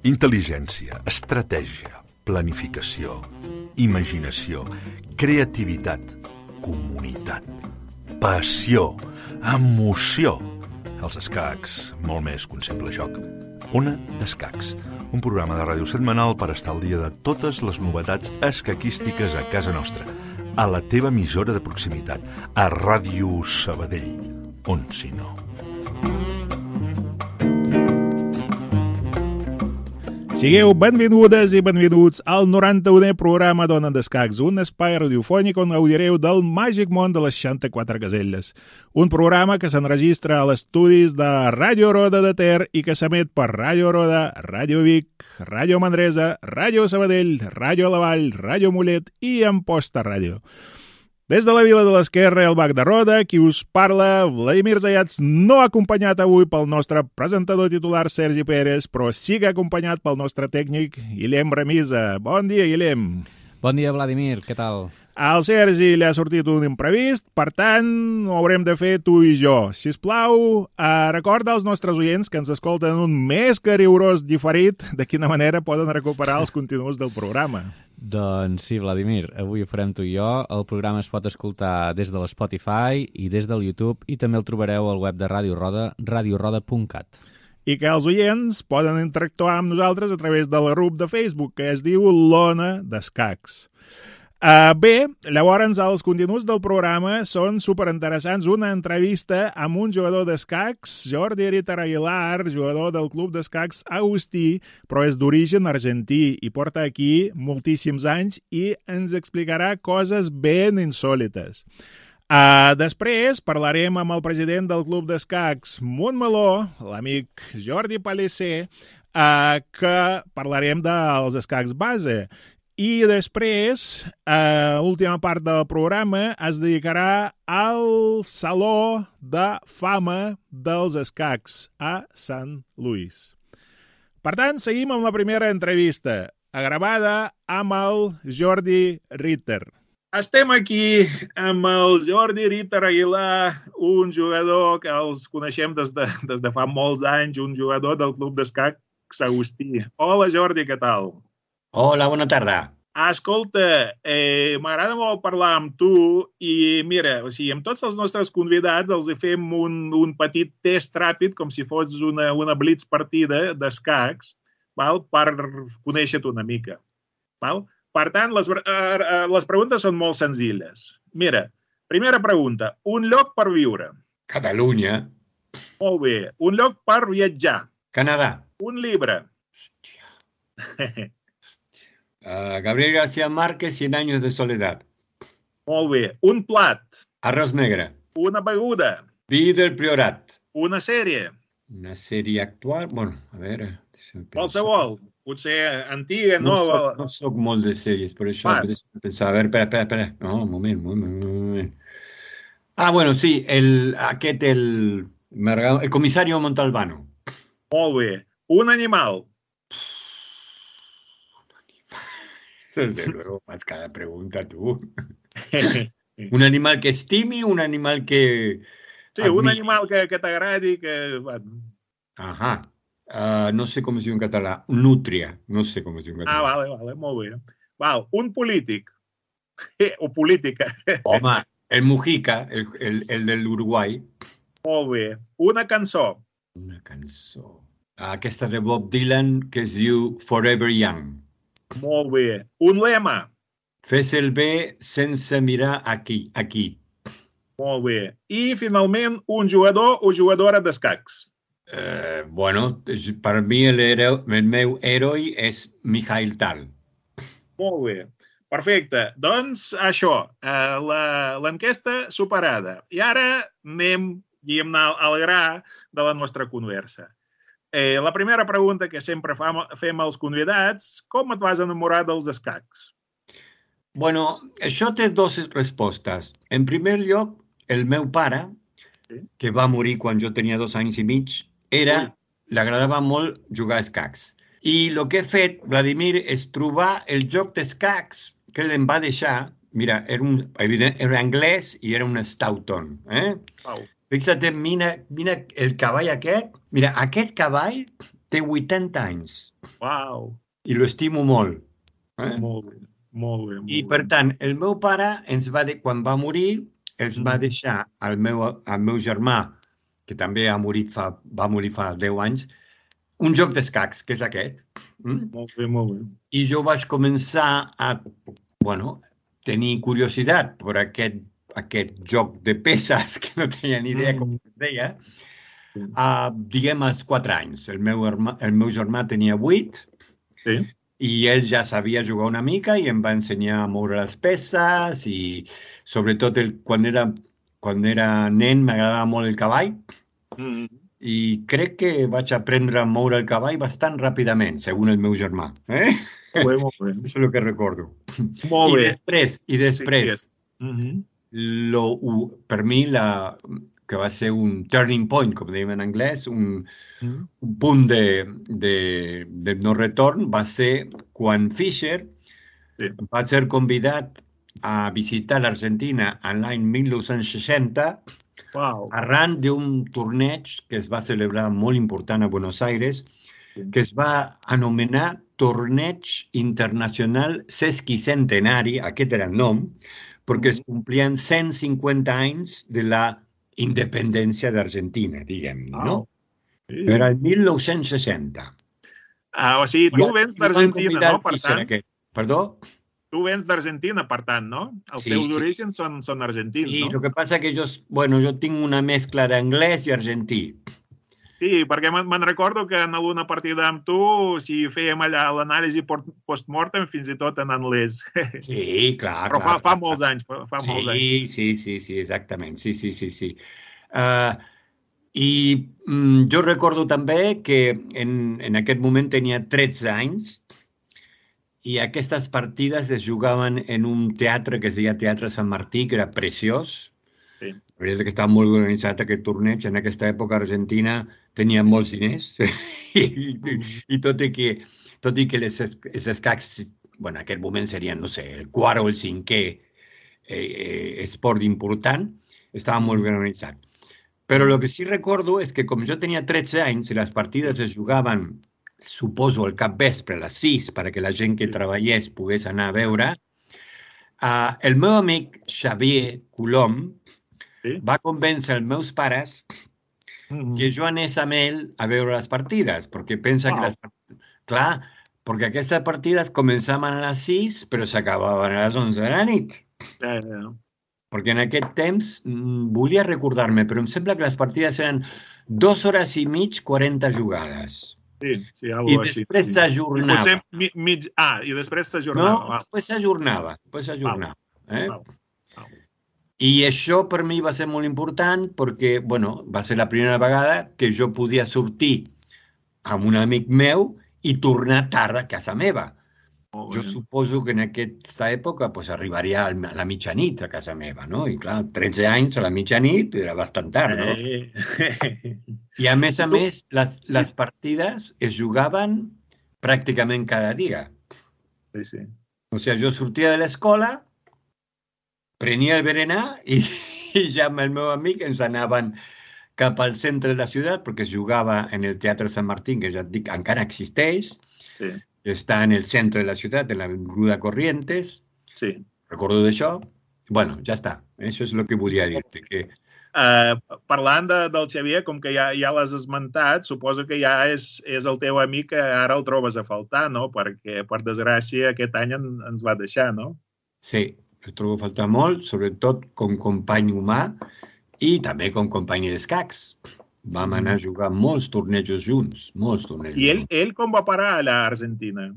Intel·ligència, estratègia, planificació, imaginació, creativitat, comunitat, passió, emoció. Els escacs, molt més que un simple joc. Ona d'Escacs, un programa de ràdio setmanal per estar al dia de totes les novetats escaquístiques a casa nostra, a la teva emissora de proximitat, a Ràdio Sabadell, on si no. Sigueu benvingudes i benvinguts al 91è programa d'Ona d'Escacs, un espai radiofònic on gaudireu del màgic món de les 64 caselles. Un programa que s'enregistra a l'estudis de Ràdio Roda de Ter i que s'emet per Ràdio Roda, Ràdio Vic, Ràdio Manresa, Ràdio Sabadell, Ràdio La Vall, Ràdio Mollet i Amposta Ràdio. Des de la Vila de l'Esquerra i el Bac de Roda, qui us parla, Vladimir Zayats, no acompanyat avui pel nostre presentador titular Sergi Pérez, però sí que acompanyat pel nostre tècnic Guillem Remisa. Bon dia, Guillem. Bon dia, Vladimir, què tal? Al Sergi li ha sortit un imprevist, per tant, ho haurem de fer tu i jo. Sisplau, recorda als nostres oients que ens escolten un més que rigorós diferit de quina manera poden recuperar els continguts del programa. Doncs sí, Vladimir, avui ho farem tu i jo. El programa es pot escoltar des de l'Spotify i des del YouTube i també el trobareu al web de Ràdio Roda, radioroda.cat. I que els oients poden interactuar amb nosaltres a través del grup de Facebook que es diu l'Ona d'Escacs. Bé, llavors els continguts del programa són superinteressants. Una entrevista amb un jugador d'escacs, Jordi Ritter Aguilar, jugador del club d'escacs Agustí, però és d'origen argentí i porta aquí moltíssims anys i ens explicarà coses ben insòlites. Després parlarem amb el president del club d'escacs Montmeló, l'amic Jordi Pallicer, que parlarem dels escacs base. I després, l'última part del programa es dedicarà al Saló de Fama dels Escacs a Sant Lluís. Per tant, seguim amb la primera entrevista, gravada amb el Jordi Ritter. Estem aquí amb el Jordi Ritter Aguilar, un jugador que els coneixem des de fa molts anys, un jugador del club d'escacs Agustí. Hola, Jordi, què tal? Hola, bona tarda. Escolta, m'agrada molt parlar amb tu i mira, amb tots els nostres convidats els fem un petit test ràpid, com si fos una blitz partida d'escacs, per conèixer-te una mica. Per tant, les preguntes són molt senzilles. Mira, primera pregunta, un lloc per viure? Catalunya. Molt bé. Un lloc per viatjar? Canadà. Un llibre? Hòstia. Gabriel García Márquez, 100 años de soledad. Molt bé. Un plat? Arroz negre. Una beguda? Vi del Priorat. Una sèrie? Una sèrie actual? Bueno, a veure... Qualsevol. Potser antiga, nova... No soc molt de sèries, per això pensar... A veure, espera. No, un moment. Bueno, sí, el comisario Montalbano. Molt bé. Un animal? Desde luego, más cada pregunta tú. Un animal que estimi, un animal que... Sí, un animal que t'agradi, que... Ajá. No sé com es diu en català. Nútria. No sé com es diu en català. Vale, molt bé. Un polític. O política. Home, el Mujica, el del Uruguai. Molt bé. Una cançó. Una cançó. Aquesta de Bob Dylan que es diu Forever Young. Molt bé. Un lema. Fes el bé sense mirar aquí. Molt bé. I, finalment, un jugador o jugadora d'escacs. Bueno, per mi el meu heroi és Mikhail Tal. Molt bé. Perfecte. Doncs això, l'enquesta superada. I ara anem al gra de la nostra conversa. La primera pregunta que sempre fem als convidats, com et vas enamorar dels escacs? Bueno, això té dues respostes. En primer lloc, el meu pare, que va morir quan jo tenia 2 anys i mig, l'agradava molt jugar a escacs. I el que he fet, Vladimir, és trobar el joc d'escacs que ell em va deixar. Mira, era anglès i era un Stoughton. Fixa't, mira el cavall aquest. Mira, aquest cavall té 80 anys. Uau. I l'estimo molt. Molt bé, molt bé. I, per tant, el meu pare quan va morir, ens va deixar al meu germà, que també va morir fa 10 anys, un joc d'escacs, que és aquest. Molt bé, molt bé. I jo vaig començar a tenir curiositat per aquest joc de peces, que no tenia ni idea com es deia, diguem, als 4 anys. El meu germà tenia 8, sí. I ell ja sabia jugar una mica i em va ensenyar a moure les peces i, sobretot, quan era nen m'agradava molt el cavall i crec que vaig aprendre a moure el cavall bastant ràpidament, segons el meu germà. Molt bé, molt bé. Això és el que recordo. Molt bé. I després, per mi, que va ser un turning point, com dèiem en anglès, un punt de no retorn, va ser quan Fischer va ser convidat a visitar l'Argentina l'any 1960 arran d'un torneig que es va celebrar molt important a Buenos Aires, que es va anomenar Torneig Internacional Sesquicentenari, aquest era el nom, perquè es complien 150 anys de la independència d'Argentina, diguem, no? Era el 1960. O sigui, tu vens d'Argentina, no? Per tant... Perdó? Tu vens d'Argentina, per tant, no? Els teus orígens són argentins, no? Sí, el que passa que jo tinc una mescla d'anglès i argentí. Sí, perquè me'n recordo que en alguna partida amb tu, si fèiem allà l'anàlisi post-mortem, fins i tot en anglès. Sí, clar. Però fa molts anys. Sí, exactament. Sí. I jo recordo també que en aquest moment tenia 13 anys i aquestes partides es jugaven en un teatre que es deia Teatre Sant Martí, que era preciós. Sí. La veritat és que estava molt organitzat aquest torneig. En aquesta època Argentina tenia molts diners i tot i que els escacs, en aquest moment serien, no sé, el quart o el cinquè esport important, estava molt ben organitzat. Però el que sí recordo és que com jo tenia 13 anys i les partides es jugaven, suposo, al capvespre, a les 6, perquè la gent que treballés pogués anar a veure, el meu amic Xavier Colom va convèncer els meus pares que jo anés amb ell a veure les partides, perquè pensa que clar, perquè aquestes partides començaven a les 6, però s'acabaven a les 11 de la nit. Perquè en aquest temps, volia recordar-me, però em sembla que les partides eren 2 hores i mig, 40 jugades. Sí, algo així. I després s'ajornava. I després s'ajornava. No, després s'ajornava. I això per mi va ser molt important perquè, va ser la primera vegada que jo podia sortir amb un amic meu i tornar tard a casa meva. Jo suposo que en aquesta època arribaria a la mitjanit a casa meva, no? I clar, 13 anys a la mitjanit era bastant tard, no? I a més, les partides es jugaven pràcticament cada dia. Sí. O sigui, jo sortia de l'escola, prenia el berenar i ja amb el meu amic ens anaven cap al centre de la ciutat perquè es jugava en el Teatre Sant Martín, que ja et dic, encara existeix. Està en el centre de la ciutat, en l'Avinguda Corrientes. Sí. Recordo d'això. Bueno, ja està. Això és el que volia dir-te. Parlant del Xavier, com que ja l'has esmentat, suposo que ja és el teu amic que ara el trobes a faltar, no? Perquè, per desgràcia, aquest any ens va deixar, no? Sí, el trobo a faltar molt, sobretot com company humà i també com company d'escacs. Vam anar a jugar molts tornejos junts, I ell com va parar a l'Argentina?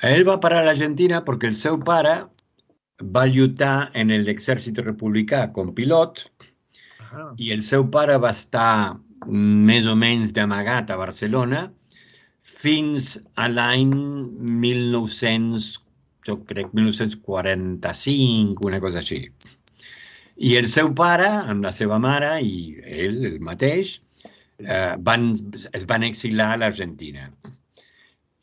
Ell va parar a l'Argentina perquè el seu pare va lluitar en l'exèrcit republicà com pilot i el seu pare va estar més o menys d'amagat a Barcelona fins a l'any 1945, una cosa així. I el seu pare, amb la seva mare i ell, el mateix, es van exilar a l'Argentina.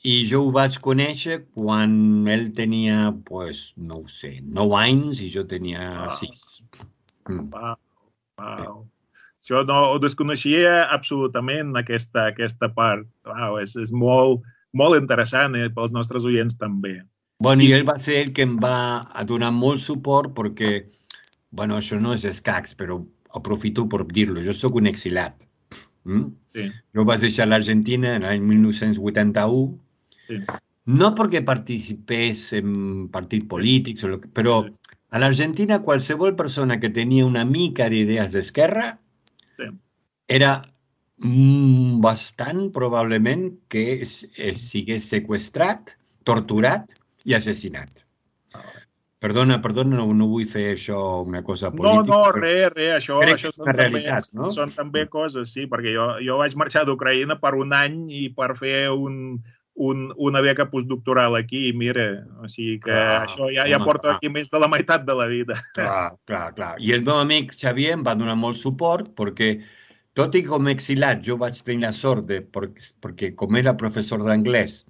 I jo ho vaig conèixer quan ell tenia, no ho sé, 9 anys i jo tenia 6. Wow. Jo no ho desconeixia absolutament, aquesta part. Wow, és molt, molt interessant, pels nostres oients també. Bueno, i ell va ser el que em va donar molt suport perquè, bueno, això no és escacs, però aprofito per dir-lo, jo sóc un exilat. Sí. Jo vaig deixar l'Argentina l'any 1981, Sí. no perquè participés en partits polítics, però a l'Argentina qualsevol persona que tenia una mica d'idees d'esquerra Sí. era bastant probablement que sigués seqüestrat, torturat i assassinat. Perdona, no vull fer això una cosa política. No, res, això és una realitat, no? Són també coses, sí, perquè jo vaig marxar d'Ucraïna per un any i per fer una beca postdoctoral aquí, mira, o sigui que això ja porto aquí més de la meitat de la vida. Clar. I el meu amic Xavier em va donar molt suport perquè, tot i com exilat, jo vaig tenir la sort perquè com era professor d'anglès,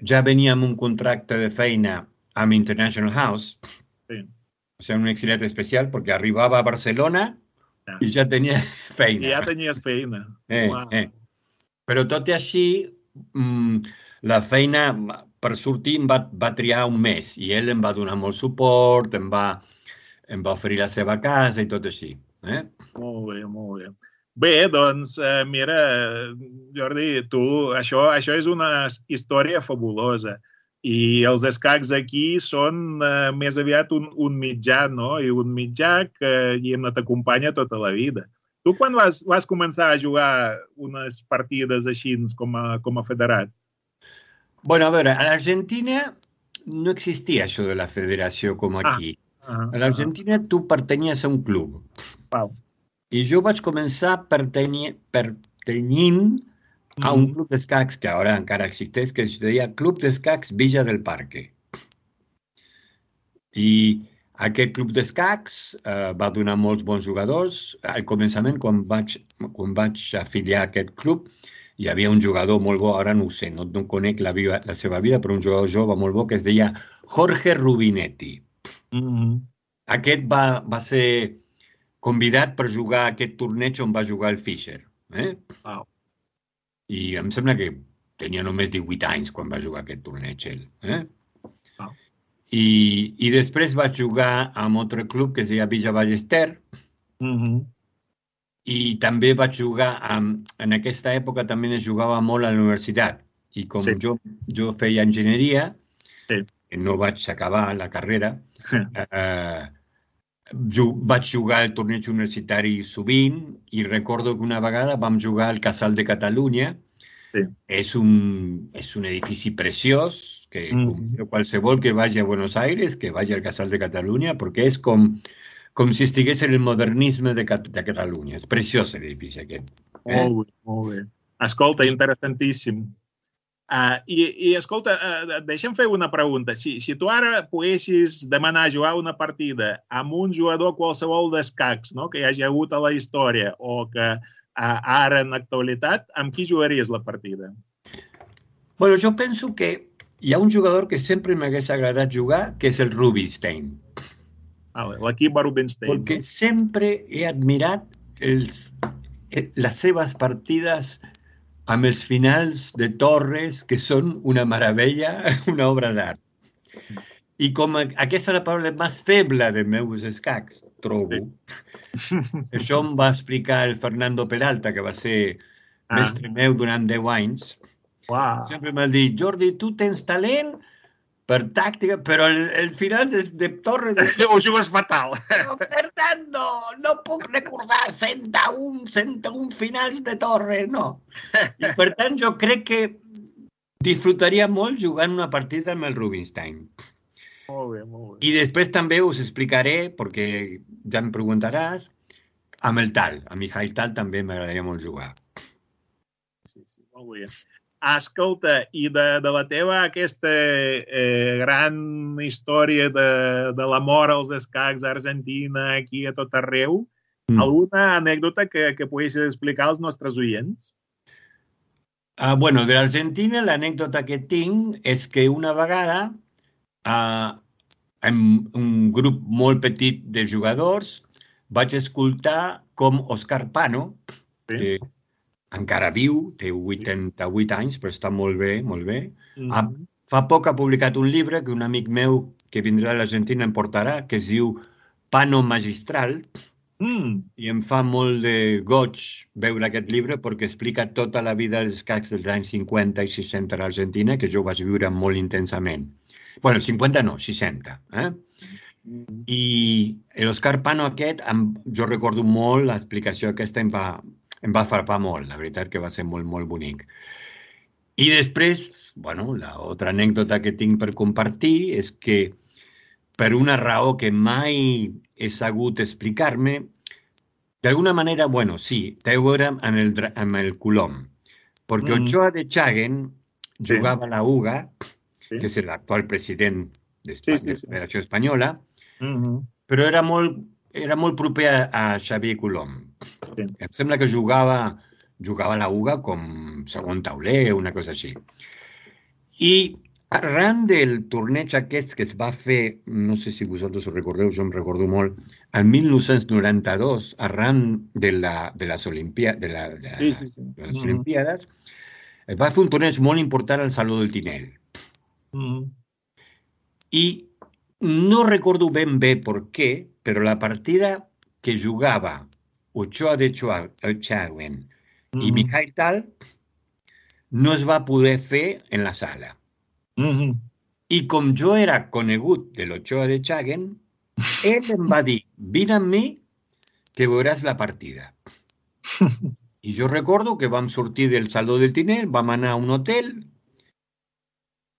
ja venia amb un contracte de feina amb International House, Sí. O sigui, un exilat especial, perquè arribava a Barcelona i ja tenia feina. I ja tenies feina. Però tot i així, la feina per sortir em va triar un mes i ell em va donar molt suport, em va oferir la seva casa i tot així. Molt bé. Bé, doncs, mira, Jordi, això és una història fabulosa. I els escacs aquí són més aviat un mitjà, no? I un mitjà que t'acompanya tota la vida. Tu quan vas començar a jugar unes partides així com a federat? Bueno, a veure, a l'Argentina no existia això de la federació com aquí. A l'Argentina tu pertanyies a un club. Wow. I jo vaig començar pertanyint a un club d'escacs que ara encara existeix, que es deia Club d'Escacs Villa del Parque. I aquest club d'escacs va donar molts bons jugadors. Al començament, quan vaig afiliar a aquest club, hi havia un jugador molt bo, ara no ho sé, no conec la seva vida, però un jugador jove molt bo que es deia Jorge Rubinetti. Aquest va ser convidat per jugar a aquest torneig on va jugar el Fischer. Wow. I em sembla que tenia només 18 anys quan va jugar aquest torneig ell. Wow. I després vaig jugar amb un altre club que es deia Villa Ballester. I també vaig jugar, en aquesta època també es jugava molt a la universitat. I com jo feia enginyeria, no vaig acabar la carrera, vaig jugar al torneig universitari sovint i recordo que una vegada vam jugar al Casal de Catalunya. És un edifici preciós, que qualsevol que vagi a Buenos Aires, que vagi al Casal de Catalunya, perquè és com si estigués en el modernisme de Catalunya. És preciós l'edifici aquest. Molt bé. Escolta, interessantíssim. I escolta, deixa'm fer una pregunta. Si tu ara poguessis demanar jugar una partida amb un jugador qualsevol d'escacs, no, que hi hagi hagut a la història o que ara en l'actualitat, amb qui jugaries la partida? Bueno, jo penso que hi ha un jugador que sempre m'hagués agradat jugar, que és el Rubinstein. L'equip Rubinstein. Perquè sempre he admirat les seves partides amb els finals de torres, que són una meravella, una obra d'art. I com aquesta és la paraula més feble de meus escacs, trobo. Això em va explicar el Fernando Peralta, que va ser mestre meu durant 10 anys. Sempre m'ha dit, Jordi, tu tens talent per tàctica, però el final de torre... Ho jugues fatal. Per tant, no puc recordar 101 finals de torre, no. I per tant, jo crec que disfrutaria molt jugant una partida amb el Rubinstein. Molt bé. I després també us explicaré, perquè ja em preguntaràs, amb el Tal. A Mijail Tal també m'agradaria molt jugar. Sí, molt bé. Escolta, i de la teva aquesta gran història de l'amor als escacs a Argentina, aquí a tot arreu, alguna anècdota que poguessis explicar als nostres oients? Bueno, de l'Argentina l'anècdota que tinc és que una vegada en un grup molt petit de jugadors vaig escoltar com Òscar Pano, que encara viu, té 88 anys, però està molt bé, molt bé. Fa poc ha publicat un llibre que un amic meu que vindrà a l'Argentina em portarà, que es diu Pano Magistral, i em fa molt de goig veure aquest llibre perquè explica tota la vida dels escacs dels anys 50 i 60 a l'Argentina, que jo vaig viure molt intensament. Bueno, 50 no, 60. I l'Òscar Pano aquest, jo recordo molt l'explicació aquesta, em va farpar molt, la veritat que va ser molt, molt bonic. I després, bueno, l'altra anècdota que tinc per compartir és que per una raó que mai he sabut explicar-me, d'alguna manera, bueno, sí, té a veure amb el Colom, perquè Ochoa de Chaguen jugava a la UGA, que és l'actual president de la Federació Espanyola, però era molt proper a Xavier Colom. Em sembla que jugava a la UGA com segon tauler, una cosa així. I arran del torneig aquest que es va fer, no sé si vosaltres ho recordeu, jo em recordo molt, el 1992, arran de les Olimpiades, es va fer un torneig molt important al Saló del Tinel. I no recordo ben bé per què, però la partida que jugava Ochoa de Chaguen i Mijail Tal no es va poder fer en la sala. I com jo era conegut de l'Ochoa de Chaguen, ell em va dir, vine amb mi que veuràs la partida. I jo recordo que vam sortir del Saló del Tinel, vam anar a un hotel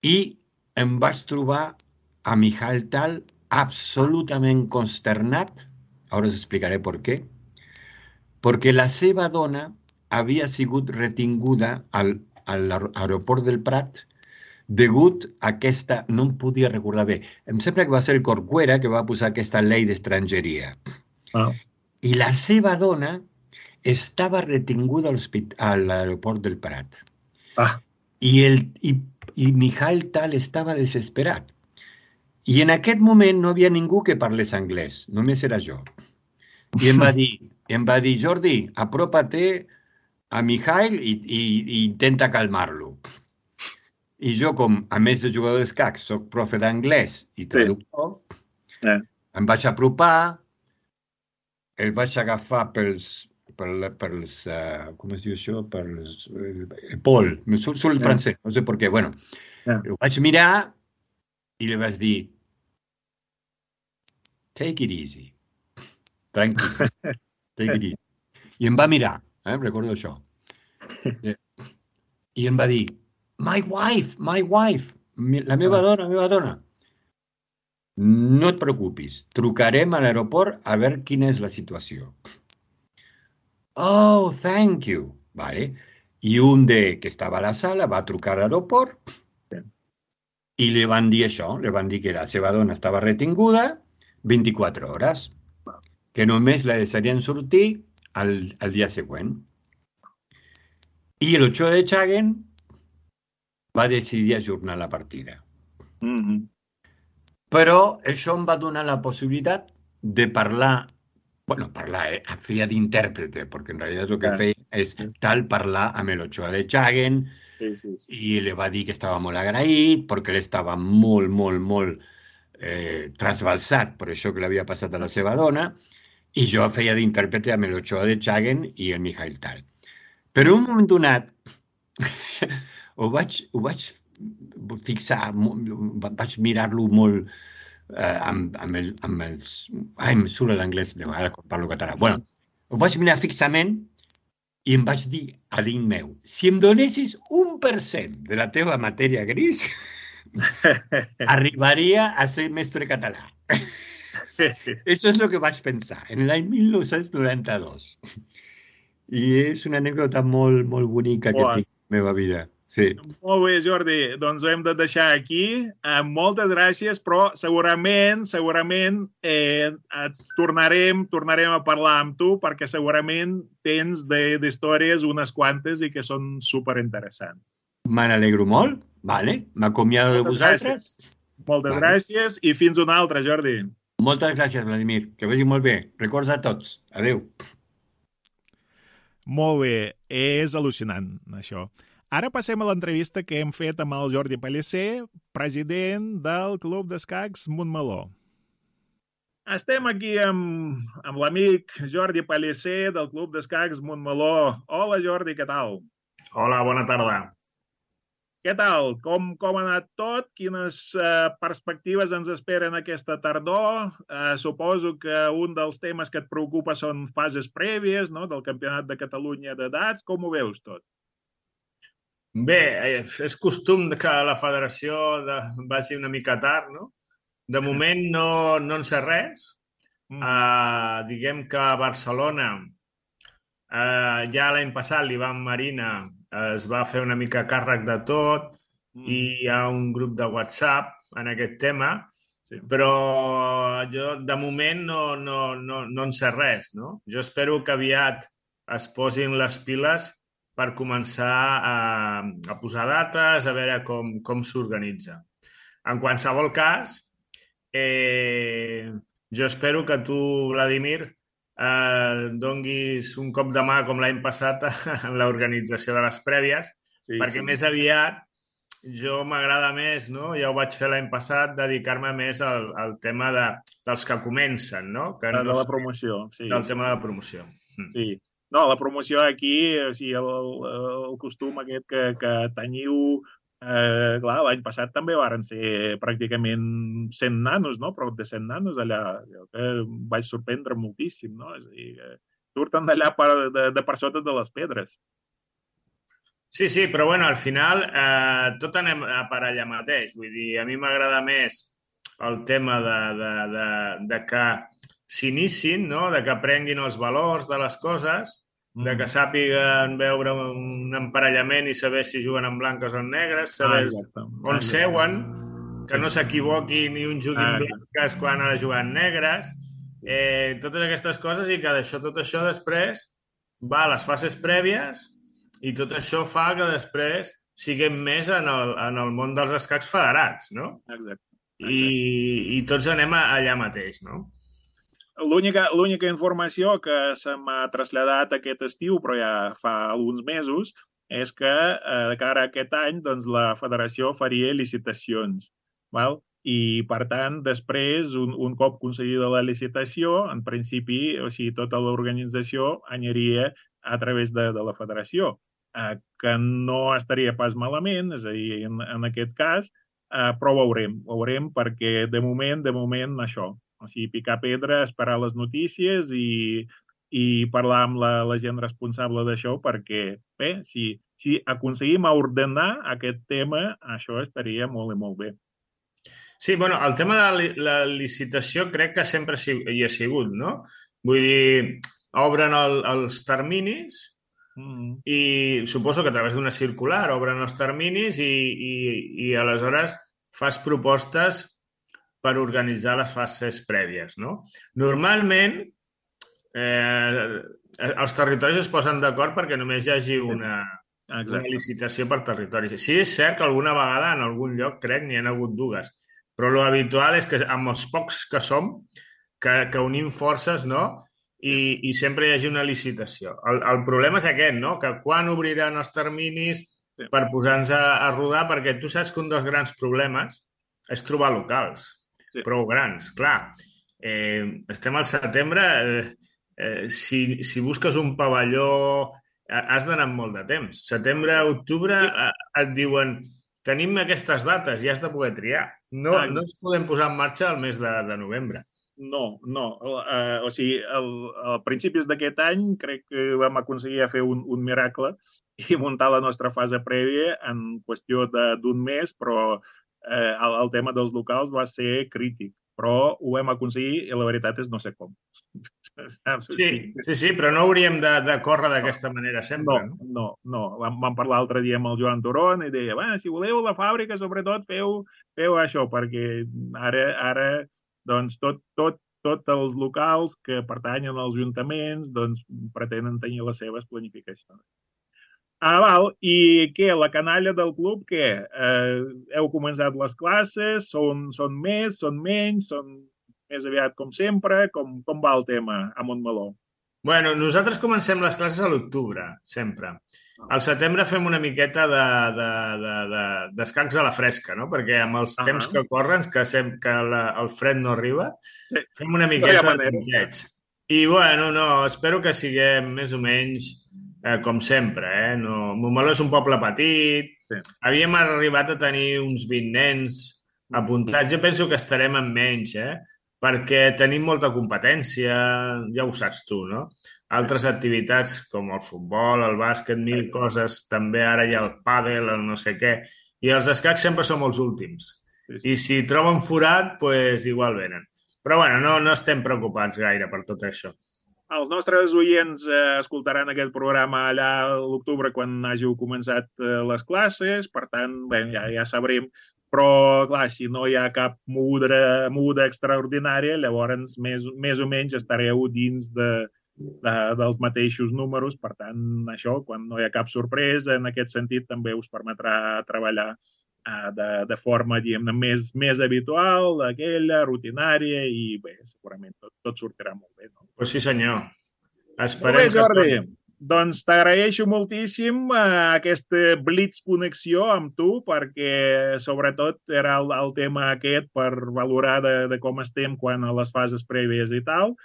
i em vaig trobar a Mijail Tal absolutament consternat, ara us explicaré per què, perquè la seva dona havia sigut retinguda a l'aeroport del Prat degut a aquesta, no em podia recordar bé, em sembla que va ser el Corcuera que va posar aquesta llei d'estrangeria. I la seva dona estava retinguda a l'aeroport del Prat. I Mijail Tal estava desesperat. I en aquest moment no havia ningú que parlés anglès, només era jo. I em va dir, Jordi, apropa-te a Mijail i intenta calmar-lo. I jo, com a més de jugador d'escacs, soc profe d'anglès i traductor, em vaig apropar, el vaig agafar pels com es diu això? Pol, me surt el francès, no sé per què. Bueno, ho vaig mirar i li vaig dir, take it easy, tranquil, take it easy. I em va mirar, recordo això. I em va dir, my wife, la meva dona. No et preocupis, trucarem a l'aeroport a veure quina és la situació. Oh, thank you. Vale. I un que estava a la sala va trucar a l'aeroport i li van dir això, li van dir que la seva dona estava retinguda 24 hores, que només la deixarien sortir al dia següent. I l'Ochoa de Chaguen va decidir ajornar la partida. Però això em va donar la possibilitat de parlar, feia d'intèrprete, perquè en realitat el que feia és parlar amb l'Ochoa de Chaguen i li va dir que estava molt agraït perquè ell estava molt, molt, molt trasbalsat per això que l'havia passat a la seva dona i jo feia d'intèrprete amb l'Ochoa de Chaguen i el Mijail Tal. Però en un moment donat ho vaig fixar, vaig mirar-lo molt amb els... em surt l'anglès de vegades quan parlo català. Bueno, ho vaig mirar fixament i em vaig dir a dins meu, si em donessis 1% de la teva matèria gris, arribaria a ser mestre català. Això és el que vaig pensar en l'any 1992. I és una anècdota molt, molt bonica que tinc en la meva vida. Sí. Molt bé, Jordi. Doncs ho hem de deixar aquí. Moltes gràcies, però segurament tornarem a parlar amb tu perquè segurament tens d'històries unes quantes i que són superinteressants. Me n'alegro molt. Vale. M'acomiado de vosaltres. Moltes gràcies i fins una altra, Jordi. Moltes gràcies, Vladimir. Que vagi molt bé. Records a tots. Adéu. Molt bé, és al·lucinant, això. Ara passem a l'entrevista que hem fet amb el Jordi Pellicer, president del Club d'Escacs Montmeló. Estem aquí amb l'amic Jordi Pellicer del Club d'Escacs Montmeló. Hola, Jordi, què tal? Hola, bona tarda. Què tal? Com ha anat tot? Quines perspectives ens esperen aquesta tardor? Suposo que un dels temes que et preocupa són fases prèvies, no?, del Campionat de Catalunya d'edats. Com ho veus tot? Bé, és costum que la federació vagi una mica tard, no? De moment no en sé res. Diguem que a Barcelona ja l'any passat l'Ivan Marina es va fer una mica càrrec de tot i hi ha un grup de WhatsApp en aquest tema, però jo de moment no en sé res, no? Jo espero que aviat es posin les piles per començar a posar dates, a veure com s'organitza. En qualsevol cas, jo espero que tu, Vladimir, donguis un cop de mà com l'any passat en l'organització de les prèvies, perquè més aviat jo m'agrada més, no? Ja ho vaig fer l'any passat, dedicar-me més al tema dels que comencen, no? Que de la promoció. Del tema de la promoció. Sí. No, la promoció aquí, o sigui, el costum aquest que teniu, clar, l'any passat també varen ser pràcticament 100 nanos, no? Prop de 100 nanos allà, que vaig sorprendre moltíssim, no? És a dir, surten d'allà de per sota de les pedres. Sí, però bueno, al final tot anem per allà mateix. Vull dir, a mi m'agrada més el tema de que s'inicin, no? De que aprenguin els valors de les coses, de que sàpiguen veure un emparellament i saber si juguen en blanques o en negres, saber on seuen, que no s'equivoquin ni un jugui en blanques quan ha de jugar en negres, totes aquestes coses, i que tot això després va a les fases prèvies i tot això fa que després siguem més en el món dels escacs federats, no? Exacte. I tots anem allà mateix, no? L'única informació que se m'ha traslladat aquest estiu, però ja fa alguns mesos, és que de cara a aquest any doncs, la federació faria licitacions. Val? I, per tant, després, un cop concedida la licitació, en principi, o sigui, tota l'organització aniria a través de la federació, que no estaria pas malament, és a dir, en aquest cas, però ho veurem perquè de moment això. O sigui, picar pedra, esperar les notícies i parlar amb la gent responsable d'això perquè, bé, si aconseguim ordenar aquest tema, això estaria molt i molt bé. Sí, bueno, el tema de la licitació crec que sempre hi ha sigut, no? Vull dir, obren els terminis i suposo que a través d'una circular obren els terminis i aleshores fas propostes per organitzar les fases prèvies, no? Normalment, els territoris es posen d'acord perquè només hi hagi una licitació per territori. Sí, és cert que alguna vegada en algun lloc, crec, n'hi ha hagut dues, però l'habitual és que amb els pocs que som, que unim forces, no?, i sempre hi hagi una licitació. El problema és aquest, no?, que quan obriran els terminis per posar-nos a rodar, perquè tu saps que un dels grans problemes és trobar locals prou grans. Clar, estem al setembre, si busques un pavelló has d'anar amb molt de temps. Setembre, octubre et diuen tenim aquestes dates i has de poder triar. No ens podem posar en marxa al mes de novembre. No. O sigui, a principis d'aquest any crec que vam aconseguir fer un miracle i muntar la nostra fase prèvia en qüestió d'un mes, però el tema dels locals va ser crític, però ho vam aconseguir i la veritat és no sé com. Sí, però no hauríem de córrer d'aquesta manera sempre, no? No. Vam parlar l'altre dia amb el Joan Turon i deia, si voleu la fàbrica, sobretot feu això, perquè ara doncs tots els locals que pertanyen als ajuntaments doncs pretenen tenir les seves planificacions. Val. I què? La canalla del club, què? Heu començat les classes? Són més? Són menys? Són més aviat com sempre? Com va el tema a Montmeló? Bueno, nosaltres comencem les classes a l'octubre, sempre. Al setembre fem una miqueta d'escacs a la fresca, no? Perquè amb els temps que corren, que el fred no arriba, fem una miqueta de punteig. I, bueno, no, espero que siguem més o menys com sempre, No, Montmeló és un poble petit, havíem arribat a tenir uns 20 nens apuntats. Jo penso que estarem en menys, perquè tenim molta competència, ja ho saps tu, no? Altres activitats com el futbol, el bàsquet, 1000 coses, també ara hi ha el pàdel, el no sé què, i els escacs sempre som els últims. I si troben forat, doncs igual venen. Però bueno, no estem preocupats gaire per tot això. Els nostres oients escoltaran aquest programa allà a l'octubre quan hàgiu començat les classes, per tant, bé, ja sabrem. Però, clar, si no hi ha cap muda extraordinària, llavors més o menys estareu dins dels mateixos números. Per tant, això, quan no hi ha cap sorpresa, en aquest sentit, també us permetrà treballar de forma, diguem-ne, més habitual, aquella, rutinària, i bé, segurament tot sortirà molt bé, no? Pues sí, senyor. Esperem molt bé, Jordi. Doncs t'agraeixo moltíssim aquesta blitz connexió amb tu, perquè sobretot era el tema aquest per valorar de com estem quan a les fases prèvies i tal.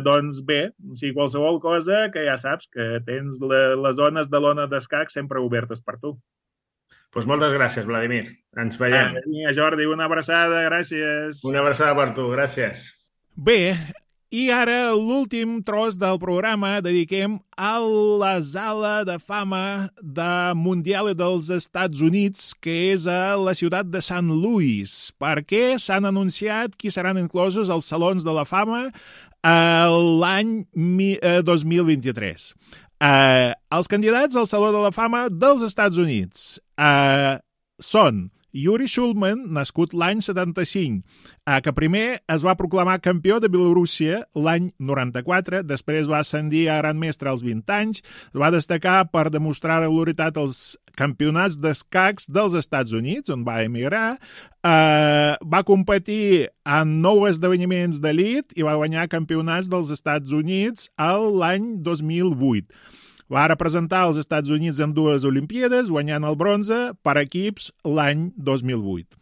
Doncs bé, si qualsevol cosa, que ja saps que tens les zones de l'ona d'escac sempre obertes per tu. Doncs moltes gràcies, Vladimir. Ens veiem. Jordi, una abraçada, gràcies. Una abraçada per tu, gràcies. Bé, i ara l'últim tros del programa dediquem a la sala de fama mundial dels Estats Units, que és a la ciutat de St. Louis, perquè s'han anunciat qui seran inclosos als Salons de la Fama l'any 2023. Els candidats al Saló de la Fama dels Estats Units són Yuri Shulman, nascut l'any 75, que primer es va proclamar campió de Bielorússia l'any 94, després va ascendir a gran mestre als 20 anys, va destacar per demostrar regularitat als campionats d'escacs dels Estats Units, on va emigrar, va competir en 9 esdeveniments d'elit i va guanyar campionats dels Estats Units l'any 2008. Va representar els Estats Units en 2 Olimpíades, guanyant el bronze per equips l'any 2008.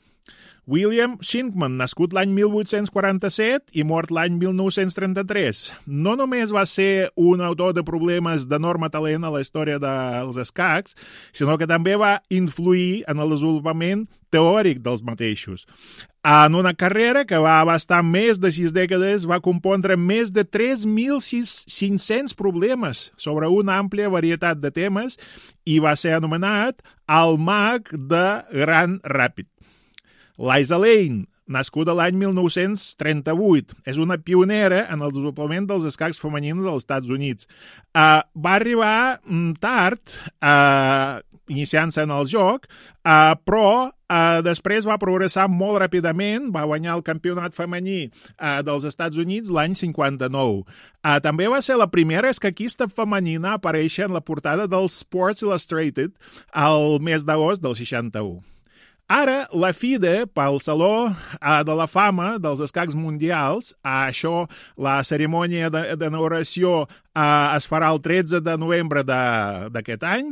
William Shinkman, nascut l'any 1847 i mort l'any 1933. No només va ser un autor de problemes d'enorme talent a la història dels escacs, sinó que també va influir en el desenvolupament teòric dels mateixos. En una carrera que va abastar més de 6 dècades, va compondre més de 3.500 problemes sobre una àmplia varietat de temes i va ser anomenat el mag de Grand Ràpid. Liza Lane, nascuda l'any 1938, és una pionera en el desenvolupament dels escacs femenins als Estats Units. Va arribar tard, iniciant-se en el joc, però després va progressar molt ràpidament, va guanyar el campionat femení dels Estats Units l'any 59. També va ser la primera escaquista femenina a aparèixer en la portada del Sports Illustrated el mes d'agost del 61. Ara, la FIDE, pel Saló de la Fama dels Escacs Mundials, la cerimònia d'inauguració es farà el 13 de novembre d'aquest any.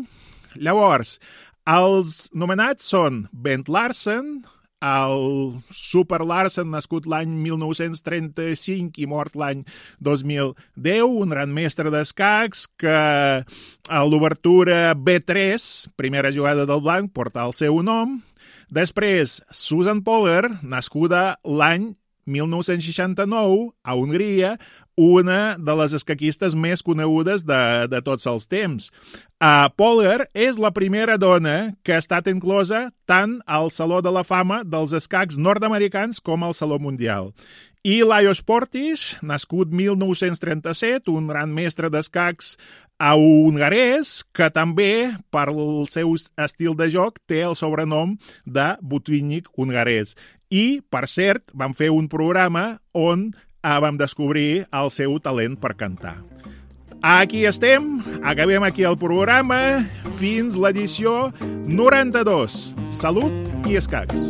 Llavors, els nomenats són Bent Larsen, el Super Larsen, nascut l'any 1935 i mort l'any 2010, un gran mestre d'escacs que a l'obertura B3, primera jugada del blanc, porta el seu nom. Després, Susan Poller, nascuda l'any 1969 a Hongria, una de les escaquistes més conegudes de tots els temps. Poller és la primera dona que ha estat inclosa tant al Saló de la Fama dels escacs nord-americans com al Saló Mundial. I Lajos Portis, nascut 1937, un gran mestre d'escacs hongarès, que també, per el seu estil de joc, té el sobrenom de Butvinnik hongarès. I, per cert, vam fer un programa on vam descobrir el seu talent per cantar. Aquí estem, acabem aquí el programa, fins l'edició 92. Salut i escacs!